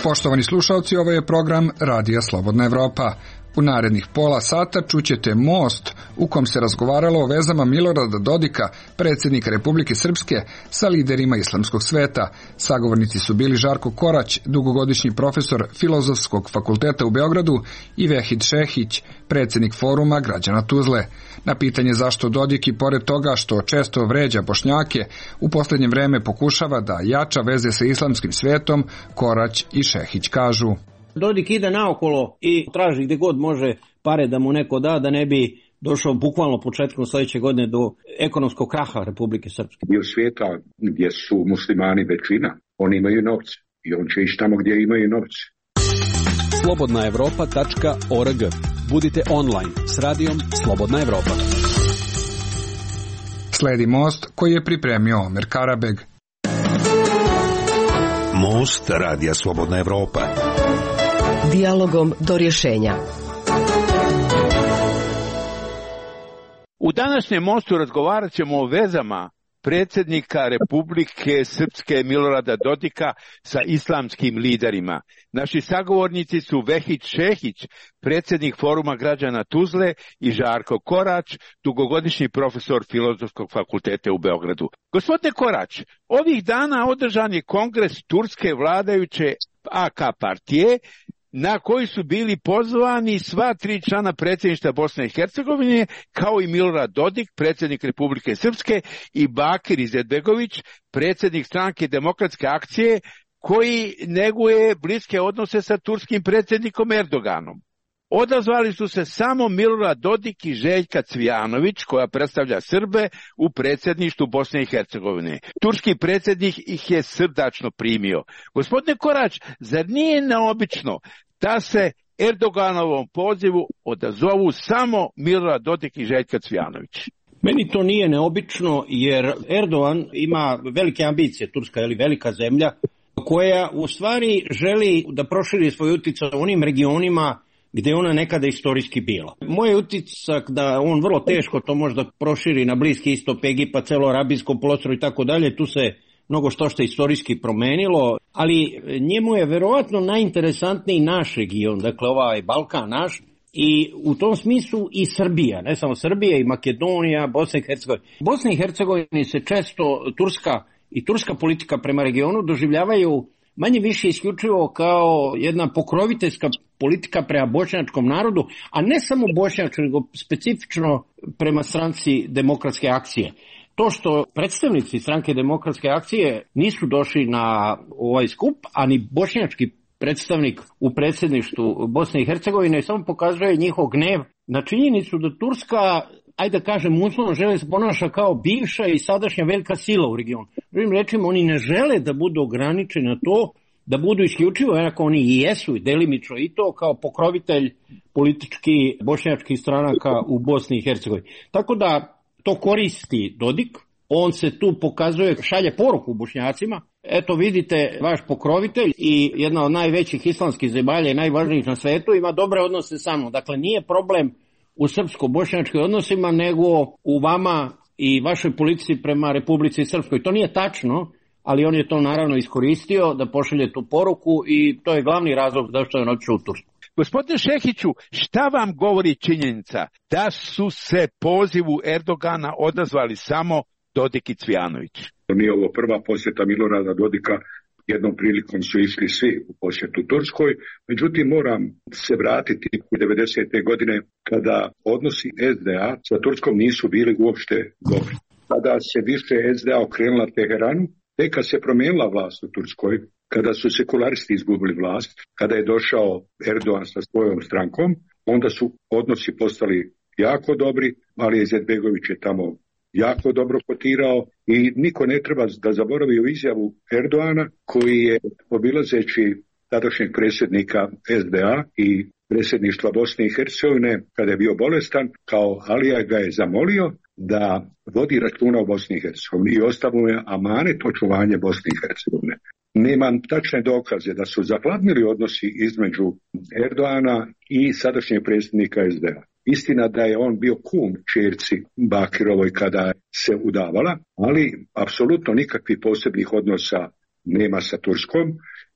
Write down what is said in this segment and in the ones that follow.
Poštovani slušalci, ovo je program Radija Slobodna Evropa. U narednih pola sata čućete Most, u kom se razgovaralo o vezama Milorada Dodika, predsjednika Republike Srpske, sa liderima islamskog sveta. Sagovornici su bili Žarko Korać, dugogodišnji profesor Filozofskog fakulteta u Beogradu, i Vehid Šehić, predsjednik Foruma građana Tuzle. Na pitanje zašto Dodik, i pored toga što često vređa Bošnjake, u posljednje vreme pokušava da jača veze sa islamskim svetom, Korać i Šehić kažu: Dodik ide naokolo i traži gdje god može pare da mu neko da ne bi došao bukvalno početkom sljedeće godine do ekonomskog kraha Republike Srpske. Dio svijeta gdje su muslimani većina, oni imaju novce i on će ići tamo gdje imaju novce. slobodnaevropa.org. Budite online s radijom Slobodna Evropa. Sledi Most koji je pripremio Omer Karabeg. Most Radija Slobodna Evropa. Dijalogom do rješenja. U današnjem Mostu razgovarat ćemo o vezama predsjednika Republike Srpske Milorada Dodika sa islamskim liderima. Naši sagovornici su Vehid Šehić, predsjednik Foruma građana Tuzle, i Žarko Korać, dugogodišnji profesor Filozofskog fakulteta u Beogradu. Gospodine Korać, ovih dana održan je kongres turske vladajuće AK partije, na koji su bili pozvani sva 3 člana predsjedništva Bosne i Hercegovine, kao i Milorad Dodik, predsjednik Republike Srpske, i Bakir Izetbegović, predsjednik stranke Demokratske akcije, koji neguje bliske odnose sa turskim predsjednikom Erdoganom. Odazvali su se samo Milorad Dodik i Željka Cvijanović, koja predstavlja Srbe u predsjedništvu Bosne i Hercegovine. Turski predsjednik ih je srdačno primio. Gospodine Korać, zar nije neobično da se Erdoganovom pozivu odazovu samo Milorad Dodik i Željka Cvijanović? Meni to nije neobično, jer Erdogan ima velike ambicije. Turska je velika zemlja koja u stvari želi da proširi svoj utjecaj u onim regionima gdje ona nekada istorijski bila. Moj je utisak da on vrlo teško to možda proširi na Bliski istok, Egipat, celo Arabijsko poluostrvo i tako dalje. Tu se mnogo što istorijski promenilo, ali njemu je verovatno najinteresantniji naš region, dakle ovaj Balkan naš, i u tom smislu i Srbija, ne samo Srbija, i Makedonija, Bosna i Hercegovina. Bosna i Hercegovini se često turska politika prema regionu doživljavaju manje više isključivo kao jedna pokroviteljska politika prema bošnjačkom narodu, a ne samo bošnjačkom, nego specifično prema stranci Demokratske akcije. To što predstavnici stranke Demokratske akcije nisu došli na ovaj skup, a ni bošnjački predstavnik u predsjedništvu Bosne i Hercegovine, samo pokazuje njihov gnev na činjenicu da Turska, ajde da kažem uslovno, žele se ponaša kao bivša i sadašnja velika sila u regionu. Drugim rečima, oni ne žele da budu ograničeni na to, da budu isključivo, jednako oni i jesu, i delimično i to, kao pokrovitelj politički bošnjačkih stranaka u Bosni i Hercegovini. Tako da to koristi Dodik, on se tu pokazuje, šalje poruku Bošnjacima: eto vidite, vaš pokrovitelj i jedna od najvećih islamskih zemalja i najvažnijih na svetu ima dobre odnose sa mnom. Dakle, nije problem u srpsko-bošnjačkim odnosima, nego u vama i vašoj politici prema Republici Srpskoj. To nije tačno, ali on je to naravno iskoristio da pošalje tu poruku i to je glavni razlog zašto je on otišao u Tursku. Gospodine Šehiću, šta vam govori činjenica da su se pozivu Erdogana odazvali samo Dodik i Cvijanović? Nije ovo prva posjeta Milorada Dodika, jednom prilikom su išli svi u posjetu Turskoj, međutim moram se vratiti u 90. godine kada odnosi SDA sa Turskom nisu bili uopšte dobri. Kada se više SDA okrenula Teheranu, tek kad se promijenila vlast u Turskoj, kada su sekularisti izgubili vlast, kada je došao Erdogan sa svojom strankom, onda su odnosi postali jako dobri, ali Izetbegović je tamo jako dobro kotirao i niko ne treba da zaboravi u izjavu Erdogana koji je, obilazeći tadašnjeg predsjednika SDA i predsjedništva Bosne i Hercegovine kada je bio bolestan, kao Alija ga je zamolio da vodi računa o Bosni i Hercegovini i ostavio je amanet očuvanje Bosne i Hercegovine. Nemam tačne dokaze da su zapladnili odnosi između Erdogana i sadašnjeg predsjednika SDA. Istina da je on bio kum ćerci Bakirovoj kada se udavala, ali apsolutno nikakvih posebnih odnosa nema sa Turskom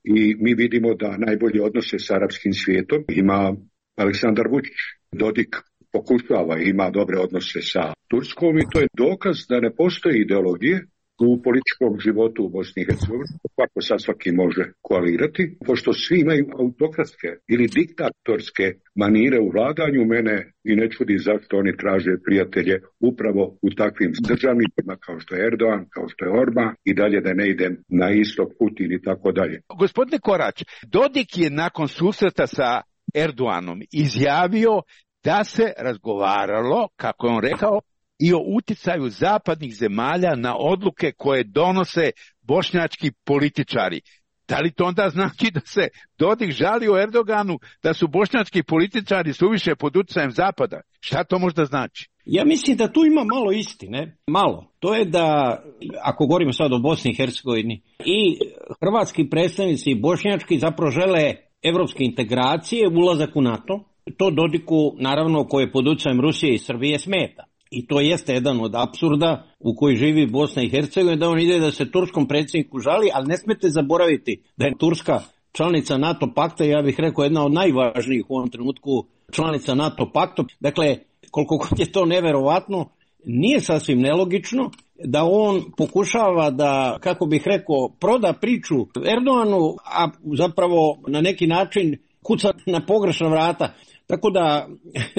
i mi vidimo da najbolje odnose s arapskim svijetom ima Aleksandar Vučić. Dodik pokušava i ima dobre odnose sa Turskom i to je dokaz da ne postoji ideologije u političkom životu u Bosni i Hercegovini, kako sa svaki može koalirati, pošto svi imaju autokratske ili diktatorske manire u vladanju, mene i ne čudi zašto oni traže prijatelje upravo u takvim državnicima kao što je Erdogan, kao što je Orban i dalje da ne idem na istok, Putin i tako dalje. Gospodine Korać, Dodik je nakon susreta sa Erdoganom izjavio da se razgovaralo, kako je on rekao, i o uticaju zapadnih zemalja na odluke koje donose bošnjački političari. Da li to onda znači da se Dodik žalio Erdoganu da su bošnjački političari suviše pod utjecajem zapada? Šta to možda znači? Ja mislim da tu ima malo istine. Malo. To je da, ako govorimo sad o Bosni i Hercegovini, i hrvatski predstavnici i bošnjački zapravo žele evropske integracije, ulazak u NATO. To Dodiku, naravno, koji je pod utjecajem Rusije i Srbije smeta. I to jeste jedan od apsurda u koji živi Bosna i Hercegovina, da on ide da se turskom predsjedniku žali, ali ne smete zaboraviti da je Turska članica NATO pakta, ja bih rekao jedna od najvažnijih u ovom trenutku članica NATO pakta. Dakle, koliko god je to neverovatno, nije sasvim nelogično da on pokušava da, kako bih rekao, proda priču Erdoganu, a zapravo na neki način kuca na pogrešna vrata. Tako da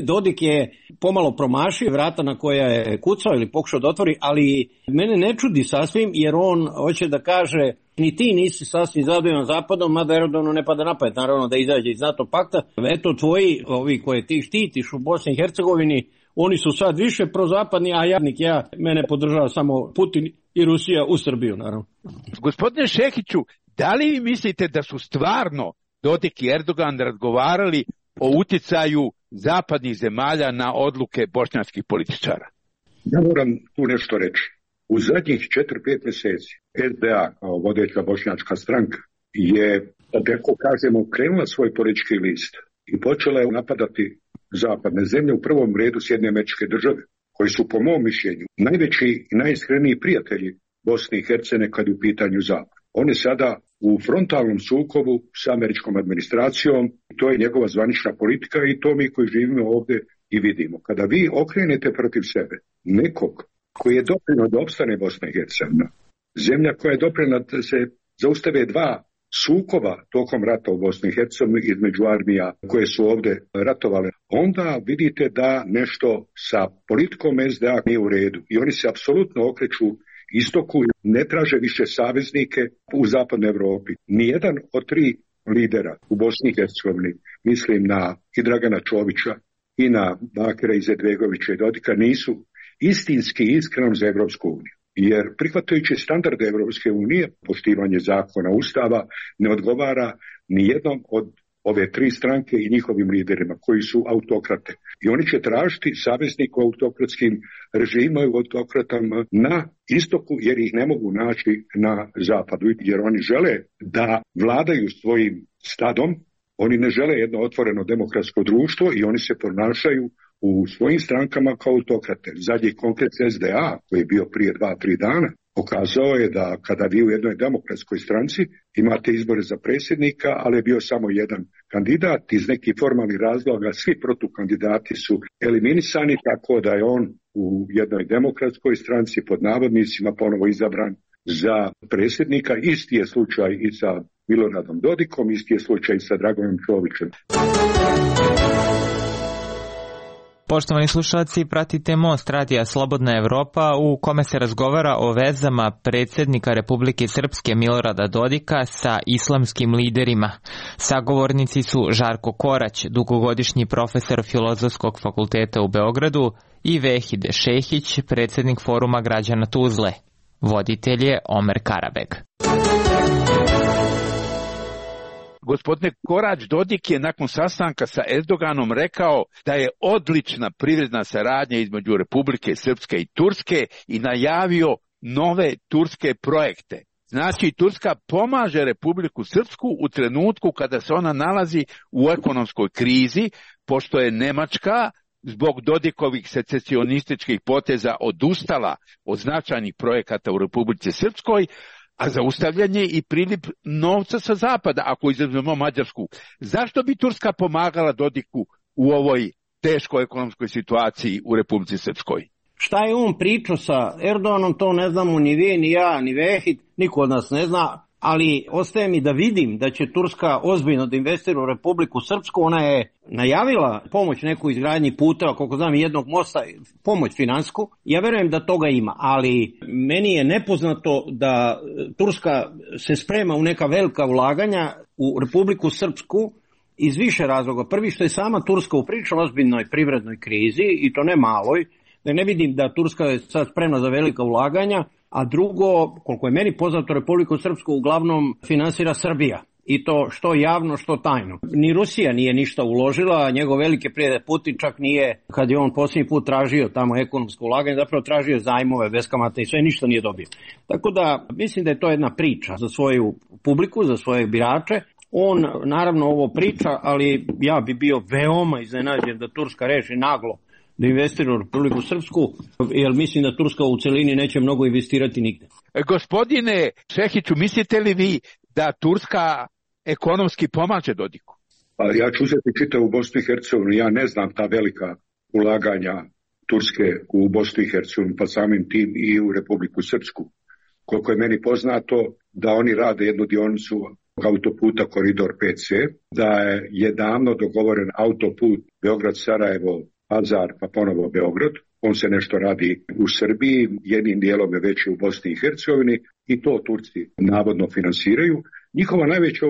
Dodik je pomalo promašio vrata na koja je kucao ili pokušao da otvori, ali mene ne čudi sasvim jer on hoće da kaže ni ti nisi sasvim zadovoljan zapadom, mada Erdoganu ne pada na pamet, naravno da izađe iz NATO pakta. Eto tvoji, ovi koje ti štitiš u Bosni i Hercegovini, oni su sad više prozapadni, a mene podržava samo Putin i Rusija u Srbiju, naravno. Gospodine Šehiću, da li vi mislite da su stvarno Dodik i Erdogan razgovarali o utjecaju zapadnih zemalja na odluke bošnjačkih političara? Ja moram tu nešto reći. U zadnjih 4-5 mjeseci SDA, kao vodeća bošnjačka stranka, je, da tako kažemo, krenula svoj politički list i počela je napadati zapadne zemlje, u prvom redu Sjedinjene Američke Države, koji su po mom mišljenju najveći i najiskreniji prijatelji Bosne i Hercegovine kad je u pitanju zapad. On je sada u frontalnom sukobu s američkom administracijom, to je njegova zvanična politika i to mi koji živimo ovdje i vidimo. Kada vi okrenete protiv sebe nekog koji je doprinio da opstane Bosna i Hercegovina, zemlja koja je doprinila da se zaustave dva sukoba tokom rata u Bosni i Hercegovini između armija koje su ovdje ratovale, onda vidite da nešto sa politikom SDA nije u redu i oni se apsolutno okreću istoku, ne traže više saveznike u zapadnoj Europi. Nijedan od tri lidera u Bosni i Hercegovini, mislim na i Dragana Čovića i na Bakira Izetbegovića i Dodika, nisu istinski iskreno za Evropsku uniju. Jer prihvatajući standarde Evropske unije, poštivanje zakona, ustava, ne odgovara ni jednom od ove tri stranke i njihovim liderima koji su autokrate. I oni će tražiti saveznik u autokratskim režimima i autokratama na istoku jer ih ne mogu naći na zapadu. Jer oni žele da vladaju svojim stadom, oni ne žele jedno otvoreno demokratsko društvo i oni se ponašaju u svojim strankama kao autokrate. Zadnji konkret SDA koji je bio prije 2-3 dana pokazao je da kada vi u jednoj demokratskoj stranci imate izbore za predsjednika, ali je bio samo jedan kandidat, iz nekih formalnih razloga svi protukandidati su eliminisani, tako da je on u jednoj demokratskoj stranci pod navodnicima ponovo izabran za predsjednika. Isti je slučaj i sa Miloradom Dodikom, isti je slučaj i sa Dragonom Čovićem. Poštovani slušalci, pratite Most radija Slobodna Evropa u kome se razgovara o vezama predsjednika Republike Srpske Milorada Dodika sa islamskim liderima. Sagovornici su Žarko Korać, dugogodišnji profesor Filozofskog fakulteta u Beogradu, i Vehide Šehić, predsjednik Foruma građana Tuzle. Voditelj je Omer Karabeg. Gospodine Korać, Dodik je nakon sastanka sa Erdoganom rekao da je odlična privredna saradnja između Republike Srpske i Turske i najavio nove turske projekte. Znači, Turska pomaže Republiku Srpsku u trenutku kada se ona nalazi u ekonomskoj krizi, pošto je Nemačka zbog Dodikovih secesionističkih poteza odustala od značajnih projekata u Republici Srpskoj, a zaustavljanje i priliv novca sa zapada, ako izuzmemo Mađarsku. Zašto bi Turska pomagala Dodiku u ovoj teškoj ekonomskoj situaciji u Republici Srpskoj? Šta je on pričao sa Erdoganom, to ne znamo ni vi, ni ja, ni Vehid, niko od nas ne zna, ali ostaje mi da vidim da će Turska ozbiljno da investira u Republiku Srpsku. Ona je najavila pomoć neku izgradnji puta, koliko znam jednog mosta, pomoć finansku. Ja verujem da toga ima, ali meni je nepoznato da Turska se sprema u neka velika ulaganja u Republiku Srpsku iz više razloga. Prvi, što je sama Turska u prilično ozbiljnoj privrednoj krizi, i to ne maloj, da ne vidim da Turska je sad spremna za velika ulaganja, a drugo, koliko je meni poznato, Republiku Srpsku uglavnom finansira Srbija. I to što javno, što tajno. Ni Rusija nije ništa uložila, njegov veliki prijatelj Putin čak nije, kad je on posljednji put tražio tamo ekonomsko ulaganje, zapravo tražio zajmove bez kamata i sve, ništa nije dobio. Tako da mislim da je to jedna priča za svoju publiku, za svoje birače. On naravno ovo priča, ali ja bi bio veoma iznenađen da Turska reši naglo da investira u Republiku Srpsku, jer mislim da Turska u celini neće mnogo investirati nigde. Gospodine Šehiću, mislite li vi da Turska ekonomski pomaže Dodiku? Pa ja ću uzeti čitavu Bosnu i Hercegovinu. Ja ne znam ta velika ulaganja Turske u Bosnu i Hercegovinu, pa samim tim i u Republiku Srpsku. Koliko je meni poznato da oni rade jednu dionicu autoputa Koridor 5C, da je davno dogovoren autoput Beograd-Sarajevo, Pazar, pa ponovo Beograd. On se nešto radi u Srbiji, jednim dijelom je već u Bosni i Hercegovini i to Turci navodno finansiraju. Njihova najveća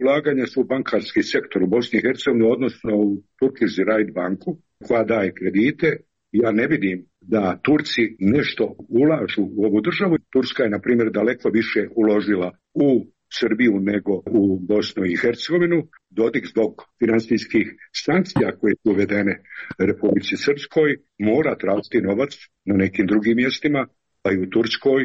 ulaganja su u bankarski sektor u Bosni i Hercegovini, odnosno u Turkish Raiffeisen banku koja daje kredite. Ja ne vidim da Turci nešto ulažu u ovu državu. Turska je, na primjer, daleko više uložila u Srbiju nego u Bosnu i Hercegovinu. Dodik zbog finansijskih sankcija koje su uvedene Republici Srpskoj mora tražiti novac na nekim drugim mjestima, pa i u Turskoj,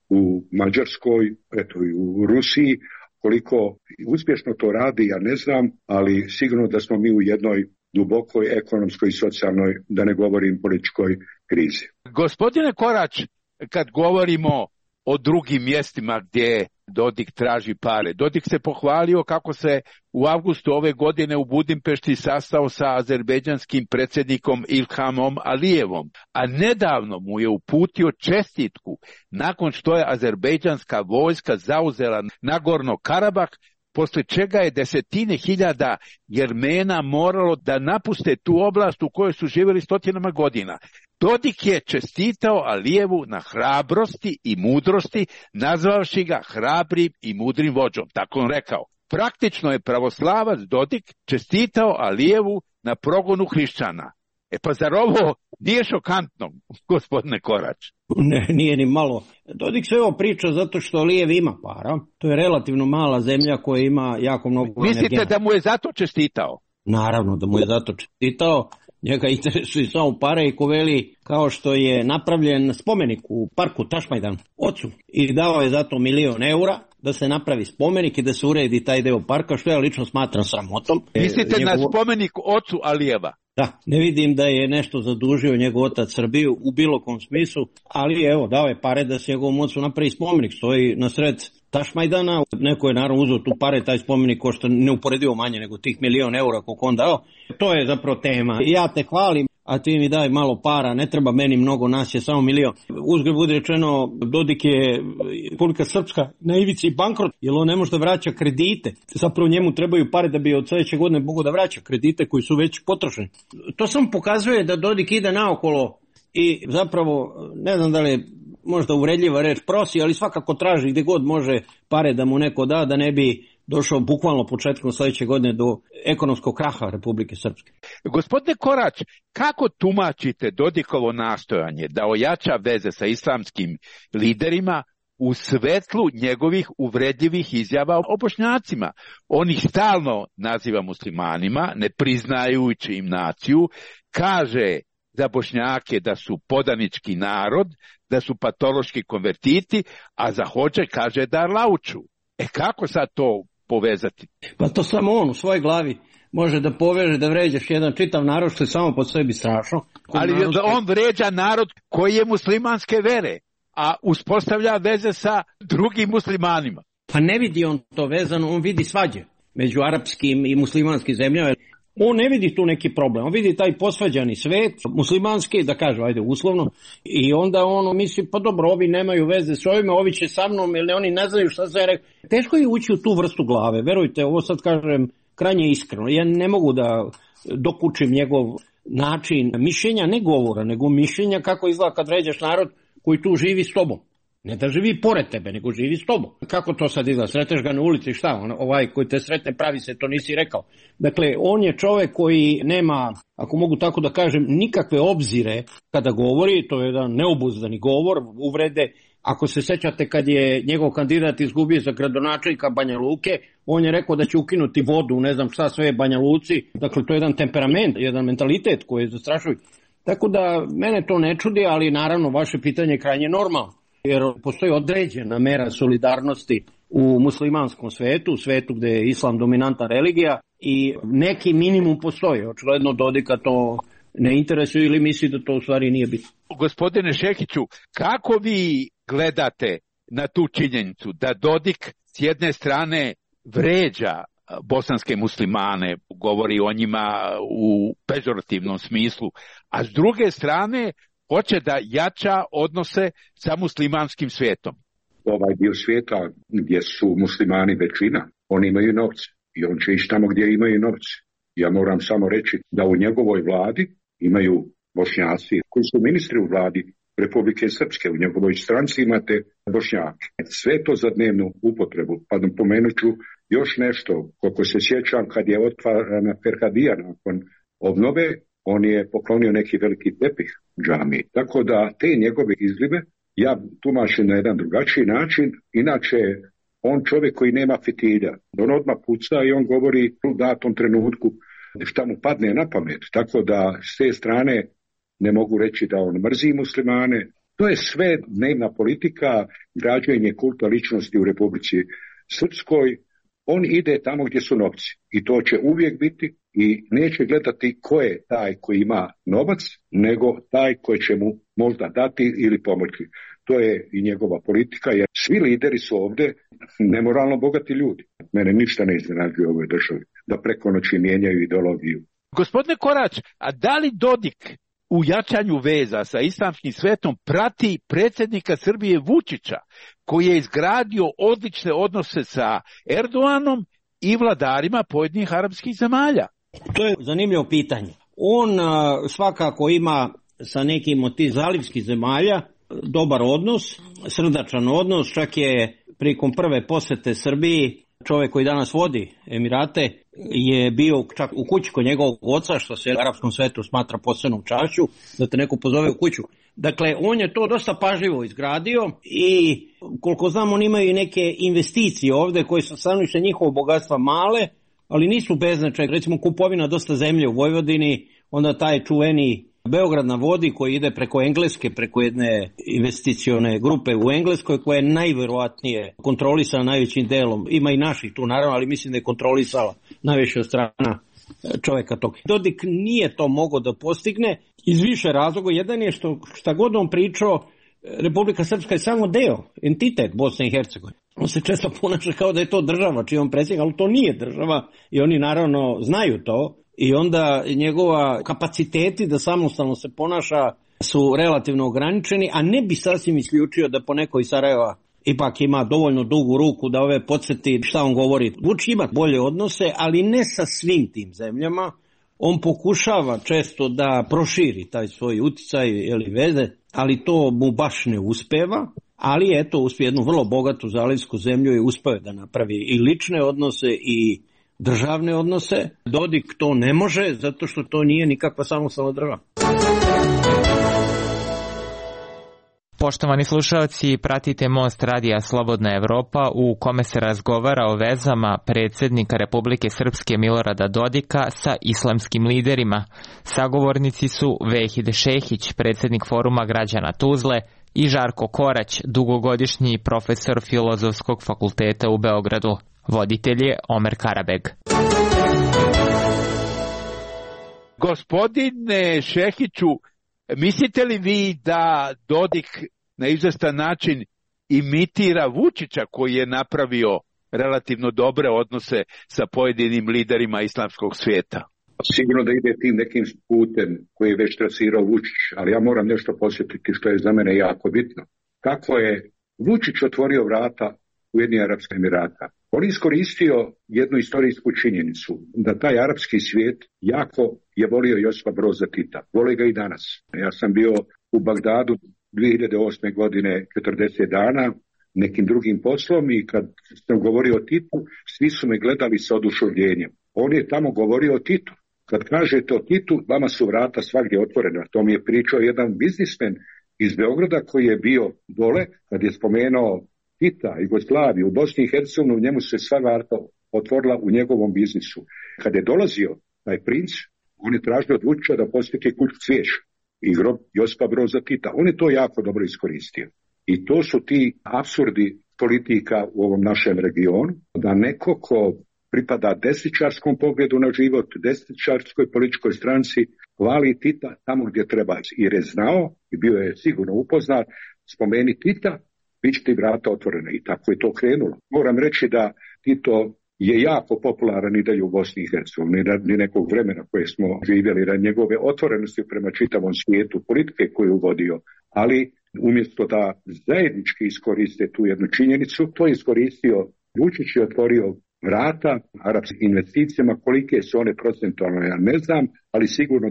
u Mađarskoj, eto i u Rusiji. Koliko uspješno to radi, ja ne znam, ali sigurno da smo mi u jednoj dubokoj ekonomskoj i socijalnoj, da ne govorim političkoj krizi. Gospodine Korać, kad govorimo o drugim mjestima gdje Dodik traži pare, Dodik se pohvalio kako se u avgustu ove godine u Budimpešti sastao sa azerbejdžanskim predsjednikom Ilhamom Alijevom, a nedavno mu je uputio čestitku nakon što je azerbejdžanska vojska zauzela Nagorno Karabah, poslije čega je desetine hiljada Jermena moralo da napuste tu oblast u kojoj su živjeli stotinama godina. Dodik je čestitao Alijevu na hrabrosti i mudrosti, nazvavši ga hrabrim i mudrim vođom, tako on rekao. Praktično je pravoslavac Dodik čestitao Alijevu na progonu hrišćana. Pa zar ovo nije šokantno, gospodine Korać? Ne, nije ni malo. Dodik sve ovo priča zato što Alijev ima para. To je relativno mala zemlja koja ima jako mnogo Mislite energenata. da mu je zato čestitao? Naravno da mu je zato čestitao. Njega interesuje samo pare i ko veli, kao što je napravljen spomenik u parku Tašmajdan ocu i dao je zato 1.000.000 eura da se napravi spomenik i da se uredi taj deo parka, što ja lično smatram sramotom. Mislite na spomenik ocu Alijeva? Da, ne vidim da je nešto zadužio njegov otac Srbiju u bilo kom smislu, ali evo, dao je pare da se njegovom ocu napravi spomenik, stoji na sred Tašmajdana, neko je naravno uzeo tu pare, taj spomenik košta neuporedivo manje nego tih 1.000.000 eura koliko on dao, to je zapravo tema. Ja te hvalim, a ti mi daj malo para, ne treba meni mnogo, nas je samo 1.000.000. Uzgred budi rečeno, Dodik je Republika Srpska na ivici bankrot, jer on ne može da vraća kredite. Zapravo njemu trebaju pare da bi od sljedeće godine mogo da vraća kredite koji su već potrošeni. To samo pokazuje da Dodik ide naokolo i zapravo, ne znam da li je možda uvredljiva reč prosi, ali svakako traži gdje god može pare da mu neko da, da ne bi došao bukvalno početkom sljedeće godine do ekonomskog kraha Republike Srpske. Gospodine Korać, kako tumačite Dodikovo nastojanje da ojača veze sa islamskim liderima u svetlu njegovih uvredljivih izjava o Bošnjacima? On ih stalno naziva muslimanima, ne priznajući im naciju, kaže za Bošnjake da su podanički narod, da su patološki konvertiti, a za Hodže kaže da lauču. Kako sad to povezati? Pa to samo on u svojoj glavi može da poveže, da vređaš jedan čitav narod, što je samo po sebi strašno. Ali on vređa narod koji je muslimanske vere, a uspostavlja veze sa drugim muslimanima. Pa ne vidi on to vezano, on vidi svađe među arapskim i muslimanskim zemljama. On ne vidi tu neki problem, on vidi taj posvađani svet, muslimanski, da kažu, ajde uslovno, i onda on misli, pa dobro, ovi nemaju veze s ovime, ovi će sa mnom, ili oni ne znaju šta se rekao. Teško je ući u tu vrstu glave, verujte, ovo sad kažem krajnje iskreno, ja ne mogu da dokučim njegov način mišljenja, ne govora, nego mišljenja kako izgleda kad vređaš narod koji tu živi s tobom. Ne da živi pored tebe, nego živi s tobom. Kako to sad izgleda? Sreteš ga na ulici, šta? Ovaj koji te sretne pravi se, to nisi rekao. Dakle, on je čovjek koji nema, ako mogu tako da kažem, nikakve obzire kada govori, to je jedan neobuzdani govor, uvrede. Ako se sećate kad je njegov kandidat izgubio za gradonačelnika Banja Luke, on je rekao da će ukinuti vodu, ne znam šta sve Banja Luci. Dakle, to je jedan temperament, jedan mentalitet koji je zastrašujući. Tako da mene to ne čudi, ali naravno vaše pitanje je krajnje normalno. Jer postoji određena mera solidarnosti u muslimanskom svetu, u svetu gde je islam dominantna religija i neki minimum postoji. Očigledno Dodika to ne interesuje ili misli da to u stvari nije bitno. Gospodine Šekiću, kako vi gledate na tu činjenicu da Dodik s jedne strane vređa bosanske muslimane, govori o njima u pežorativnom smislu, a s druge strane hoće da jača odnose sa muslimanskim svijetom? Ovaj dio svijeta gdje su muslimani većina, oni imaju novce i on će ići tamo gdje imaju novce. Ja moram samo reći da u njegovoj vladi imaju Bošnjaci koji su ministri u vladi Republike Srpske, u njegovoj stranci imate Bošnjake. Sve to za dnevnu upotrebu. Pa napomenut ću još nešto, koliko se sjećam kad je otvarana Ferhadija nakon obnove, on je poklonio neki veliki tepih džami. Tako da te njegove izlive ja tumačim na jedan drugačiji način. Inače, on čovjek koji nema fitilja. On odmah puca i on govori u datom trenutku šta mu padne na pamet. Tako da s te strane ne mogu reći da on mrzi muslimane. To je sve dnevna politika, građenje kulta ličnosti u Republici Srpskoj. On ide tamo gdje su novci i to će uvijek biti i neće gledati ko je taj koji ima novac, nego taj koji će mu možda dati ili pomoći. To je i njegova politika, jer svi lideri su ovdje nemoralno bogati ljudi. Mene ništa ne iznenađuje u ovoj državi, da preko noći mijenjaju ideologiju. Gospodine Korać, a da li Dodik u jačanju veza sa islamskim svetom prati predsjednika Srbije Vučića, koji je izgradio odlične odnose sa Erdoganom i vladarima pojedinih arapskih zemalja? To je zanimljivo pitanje. On svakako ima sa nekim od tih zalivskih zemalja dobar odnos, srdačan odnos, čak je prilikom prve posete Srbiji čovjek koji danas vodi Emirate je bio čak u kući kod njegovog oca, što se u arapskom svetu smatra posebnom čašću, da te neko pozove u kuću. Dakle, on je to dosta pažljivo izgradio i koliko znam, on imaju i neke investicije ovdje koje su stanovište njihovog bogatstva male, ali nisu beznačajne. Recimo kupovina dosta zemlje u Vojvodini, onda taj čuveni Beograd na vodi koji ide preko Engleske, preko jedne investicione grupe u Engleskoj koja je najvjerojatnije kontrolisana najvećim delom. Ima i naših tu naravno, ali mislim da je kontrolisala najviše od strana čovjeka tog. Dodik nije to mogao da postigne iz više razloga. Jedan je šta god on pričao, Republika Srpska je samo deo, entitet Bosne i Hercegovine. On se često ponaša kao da je to država čiji on predsjednik, ali to nije država i oni naravno znaju to. I onda njegova kapaciteti da samostalno se ponaša su relativno ograničeni, a ne bi sasvim isključio da poneko iz Sarajeva ipak ima dovoljno dugu ruku da ove podsjeti šta on govori. Vučić ima bolje odnose, ali ne sa svim tim zemljama. On pokušava često da proširi taj svoj uticaj ili veze, ali to mu baš ne uspeva. Ali eto, uspije jednu vrlo bogatu zalivsku zemlju i uspeo da napravi i lične odnose i državne odnose. Dodik to ne može, zato što to nije nikakva samostalna država. Poštovani slušalci, pratite Most radija Slobodna Evropa u kome se razgovara o vezama predsjednika Republike Srpske Milorada Dodika sa islamskim liderima. Sagovornici su Vehid Šehić, predsjednik Foruma građana Tuzle, i Žarko Korać, dugogodišnji profesor Filozofskog fakulteta u Beogradu. Voditelj je Omer Karabeg. Gospodine Šehiću, mislite li vi da Dodik na izvestan način imitira Vučića koji je napravio relativno dobre odnose sa pojedinim liderima islamskog svijeta? Sigurno da ide tim nekim putem koji je već trasirao Vučić, ali ja moram nešto posjetiti što je za mene jako bitno. Kako je Vučić otvorio vrata Ujedinjenih Arapskih Emirata? On je iskoristio jednu istorijsku činjenicu, da taj arapski svijet jako je volio Josipa Broza Tita. Voli ga i danas. Ja sam bio u Bagdadu 2008. godine 40 dana nekim drugim poslom i kad sam govorio o Titu, svi su me gledali sa oduševljenjem. On je tamo govorio o Titu. Kad kažete o Titu, vama su vrata svagdje otvorena. To mi je pričao jedan biznismen iz Beograda koji je bio dole, kad je spomenuo Tita, Jugoslaviju, u Bosni i Hercegovini, njemu se sva vrata otvorila u njegovom biznisu. Kad je dolazio taj princ, on je tražio od Vučića da posjeti kuću Cvijeća i grob Josipa Broza Tita. On je to jako dobro iskoristio. I to su ti apsurdi politika u ovom našem regionu, da neko ko pripada desničarskom pogledu na život, desničarskoj političkoj stranci, hvali Tita tamo gdje treba. Jer je znao i bio je sigurno upoznat, spomeni Tita, bit će ti vrata otvorene. I tako je to krenulo. Moram reći da Tito je jako popularan i dalje u Bosni i Hercegovini, ni nekog vremena koje smo živjeli, na njegove otvorenosti prema čitavom svijetu, politike koju je uvodio, ali umjesto da zajednički iskoriste tu jednu činjenicu, to je iskoristio Vučić i otvorio vrata arapskim investicijama. Kolike su one procentualno, ja ne znam, ali sigurno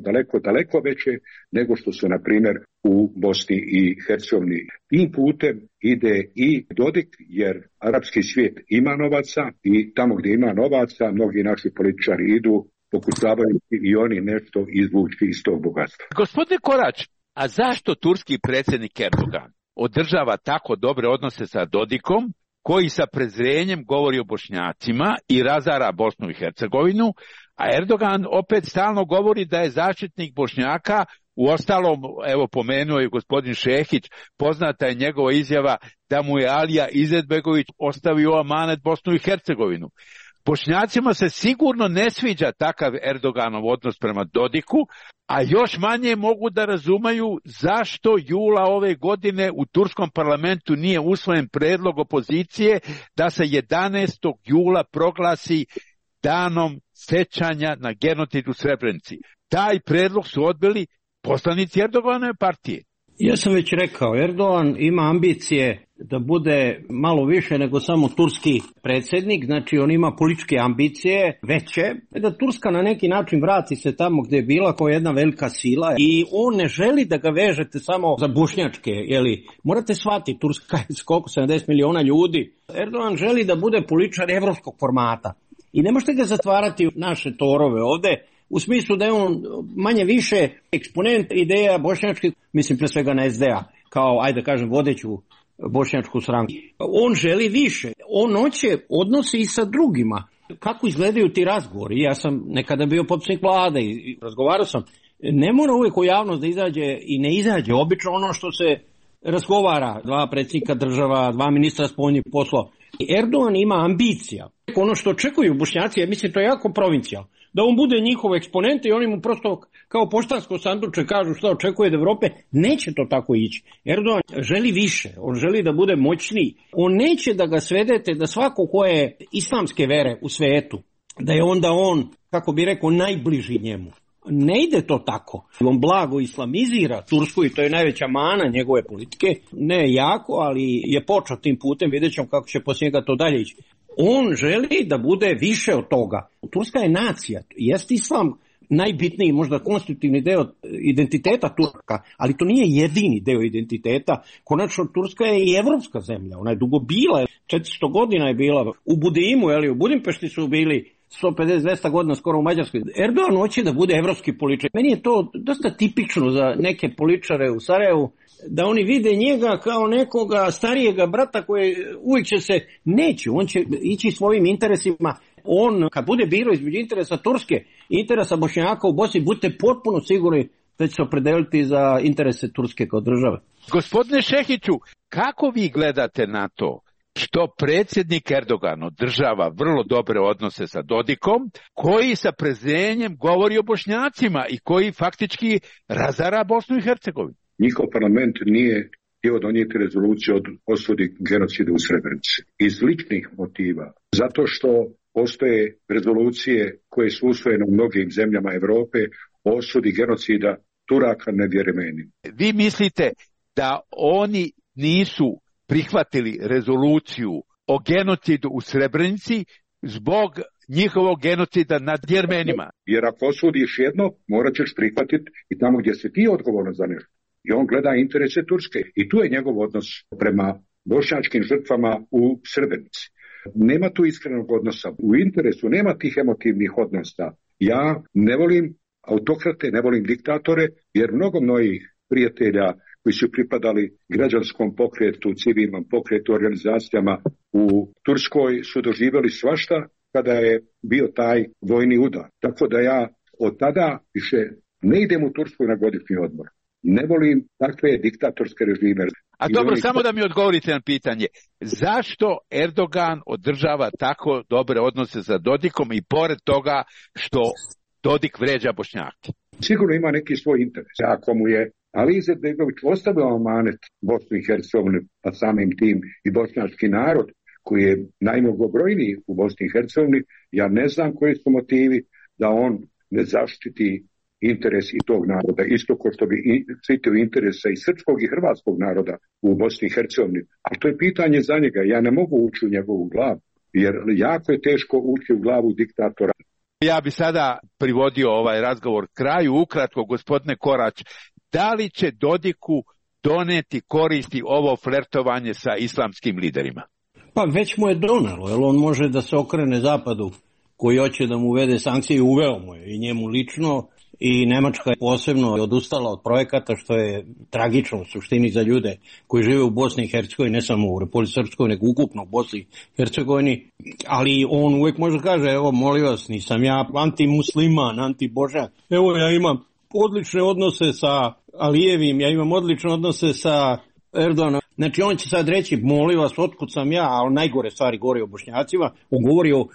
daleko veće nego što su, na primjer, u Bosni i Hercegovini. Tim putem ide i Dodik, jer arapski svijet ima novaca i tamo gdje ima novaca, mnogi naši političari idu, pokušavaju i oni nešto izvući iz tog bogatstva. Gospodine Korać, a zašto turski predsjednik Erdogan održava tako dobre odnose sa Dodikom, koji sa prezrenjem govori o Bošnjacima i razara Bosnu i Hercegovinu, a Erdogan opet stalno govori da je zaštitnik Bošnjaka? Uostalom, evo pomenuo je gospodin Šehić, poznata je njegova izjava da mu je Alija Izetbegović ostavio amanet Bosnu i Hercegovinu. Bošnjacima se sigurno ne sviđa takav Erdoganov odnos prema Dodiku, a još manje mogu da razumaju zašto jula ove godine u turskom parlamentu nije usvojen predlog opozicije da se 11. jula proglasi danom sećanja na genocid u Srebrenici. Taj predlog su odbili poslanici Erdoganove partije. Ja sam već rekao, Erdogan ima ambicije da bude malo više nego samo turski predsjednik, znači on ima političke ambicije veće, da Turska na neki način vrati se tamo gdje je bila kao jedna velika sila i on ne želi da ga vežete samo za bošnjačke, jeli, morate shvatiti, Turska je koliko 70 miliona ljudi, Erdogan želi da bude političar evropskog formata i ne možete ga zatvarati u naše torove ovdje, u smislu da je on manje više eksponent ideja bošnjačkih, mislim pre svega na SDA, kao, ajde kažem, vodeću bošnjačku stranku. On želi više. On hoće odnosi i sa drugima. Kako izgledaju ti razgovori? Ja sam nekada bio potpredsjednik vlade i razgovarao sam. Ne mora uvijek u javnost da izađe i ne izađe. Obično ono što se razgovara, 2 predsjednika država, 2 ministra spoljnih poslova. Erdogan ima ambicija. Ono što očekuju Bošnjaci, ja mislim to je jako provincijal. Da on bude njihov eksponent i oni mu prosto kao poštansko sanduče kažu šta očekuje od Europe, neće to tako ići. Erdogan želi više, on želi da bude moćniji. On neće da ga svedete da svako ko je islamske vere u svijetu, da je onda on, kako bi rekao, najbliži njemu. Ne ide to tako. On blago islamizira Tursku i to je najveća mana njegove politike. Ne jako, ali je počeo tim putem, vidjet ćemo kako će poslije njega to dalje ići. On želi da bude više od toga. Turska je nacija, jest islam najbitniji, možda konstitutivni deo identiteta Turka, ali to nije jedini deo identiteta. Konačno Turska je i evropska zemlja, ona je dugo bila, 400 godina je bila u Budimu, u Budimpešti su bili 150-200 godina skoro u Mađarskoj. Erdogan hoće da bude evropski političar. Meni je to dosta tipično za neke političare u Sarajevu, da oni vide njega kao nekoga starijega brata koji uvijek će se, neće, on će ići svojim interesima. On, kad bude birao između interesa Turske i interesa Bošnjaka u Bosni, budite potpuno sigurni da će se opredeliti za interese Turske kao države. Gospodine Šehiću, kako vi gledate na to što predsjednik Erdogan održava vrlo dobre odnose sa Dodikom, koji sa prezrenjem govori o Bošnjacima i koji faktički razara Bosnu i Hercegovinu. Njihov parlament nije htio donijeti rezoluciju od osudi genocida u Srebrenici iz ličnih motiva, zato što postoje rezolucije koje su usvojene u mnogim zemljama Europe o osudi genocida Turaka nad Jeremenima. Vi mislite da oni nisu prihvatili rezoluciju o genocidu u Srebrenici zbog njihovog genocida nad Jermenima? Jer ako osudiš jedno, morat ćeš prihvatiti i tamo gdje si ti odgovoran za nešto. I on gleda interese Turske. I tu je njegov odnos prema bošnjačkim žrtvama u Srebrenici. Nema tu iskrenog odnosa. U interesu nema tih emotivnih odnosa. Ja ne volim autokrate, ne volim diktatore, jer mnogo mojih prijatelja koji su pripadali građanskom pokretu, civilnom pokretu, organizacijama u Turskoj su doživjeli svašta kada je bio taj vojni udar. Tako da ja od tada više ne idem u Tursku na godišnji odmor. Ne volim takve diktatorske režime. A dobro, samo da mi odgovorite na pitanje. Zašto Erdogan održava tako dobre odnose sa Dodikom i pored toga što Dodik vređa Bošnjake? Sigurno ima neki svoj interes. Ako mu je Ali Izetbegović ostavio amanet Bosnu i Hercegovini, pa samim tim i bošnjački narod, koji je najmnogobrojniji u Bosni i Hercegovini, ja ne znam koji su motivi da on ne zaštiti interes i tog naroda, isto kao što bi štitio interesa i srpskog i hrvatskog naroda u Bosni i Hercegovini. A to je pitanje za njega. Ja ne mogu ući u njegovu glavu, jer jako je teško ući u glavu diktatora. Ja bi sada privodio ovaj razgovor kraju. Ukratko, gospodine Korać, da li će Dodiku doneti koristi ovo flertovanje sa islamskim liderima? Pa već mu je donelo, jer on može da se okrene zapadu koji hoće da mu uvede sankcije i uveo mu je i njemu lično, i Nemačka je posebno odustala od projekata, što je tragično u suštini za ljude koji žive u Bosni i Hercegovini, ne samo u Republici Srpskoj, nego ukupno u Bosni i Hercegovini, ali on uvijek može kaže, evo molim vas, nisam ja antimusliman, antibožan, evo ja imam odlične odnose sa Alijevim, ja imam odlične odnose sa Erdoganom. Znači on će sad reći, molim vas, otkud sam ja, ali najgore stvari govori o Bošnjacima, on govori o,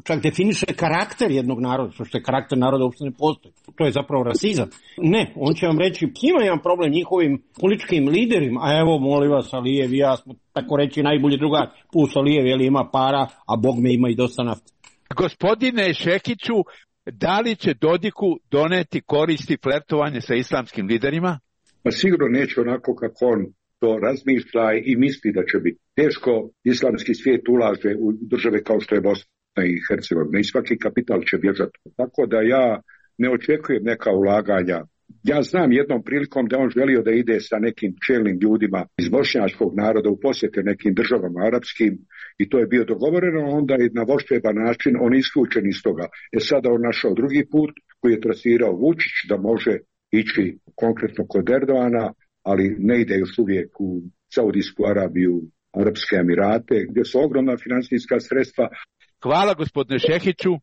čak definiše karakter jednog naroda, što je karakter naroda uopšte ne postoji. To je zapravo rasizam. Ne, on će vam reći, ima jedan problem njihovim političkim liderima, a evo, molim vas, Alijev i ja smo, tako reći, najbolji drugari, plus Alijev, jer ima para, a Bog me ima i dosta nafte. Gospodine Šekiću, da li će Dodiku doneti koristi flertovanje sa islamskim liderima? Pa sigurno neće onako kako on to razmišlja i misli da će biti. Teško islamski svijet ulaže u države kao što je Bosna i Hercegovina i svaki kapital će bježati. Tako da ja ne očekujem neka ulaganja. Ja znam jednom prilikom da on želio da ide sa nekim čelnim ljudima iz bošnjačkog naroda u posjete nekim državama arapskim i to je bio dogovoreno, onda je na vošćeban način on isključen iz toga. Sada on našao drugi put koji je trasirao Vučić da može ići konkretno kod Erdogana, ali ne ide još uvijek u Saudijsku Arabiju, Arapske Emirate, gdje su ogromna financijska sredstva. Hvala gospodine Šehiću.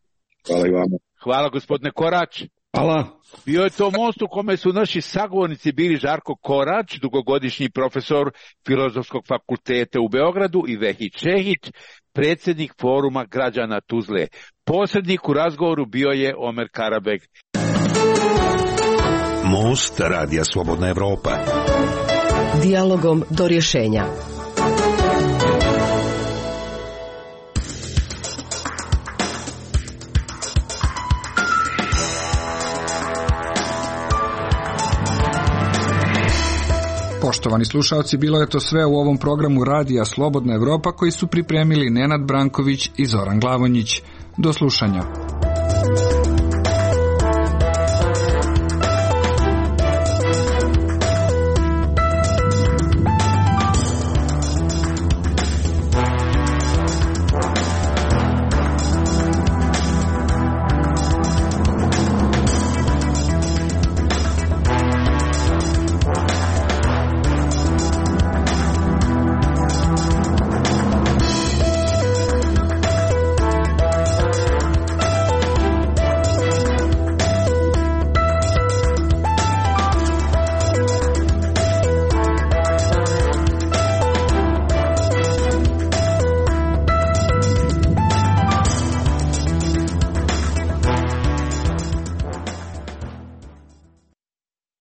Hvala i vama. Hvala gospodine Korać. Hvala. Bio je to most u kome su naši sagovornici bili Žarko Korać, dugogodišnji profesor Filozofskog fakulteta u Beogradu, i Vehid Šehić, predsjednik Foruma građana Tuzle. Posrednik u razgovoru bio je Omer Karabeg. Most Radija Slobodna Evropa. Dijalogom do rješenja. Poštovani slušalci, bilo je to sve u ovom programu Radija Slobodna Evropa koji su pripremili Nenad Branković i Zoran Glavonjić. Do slušanja.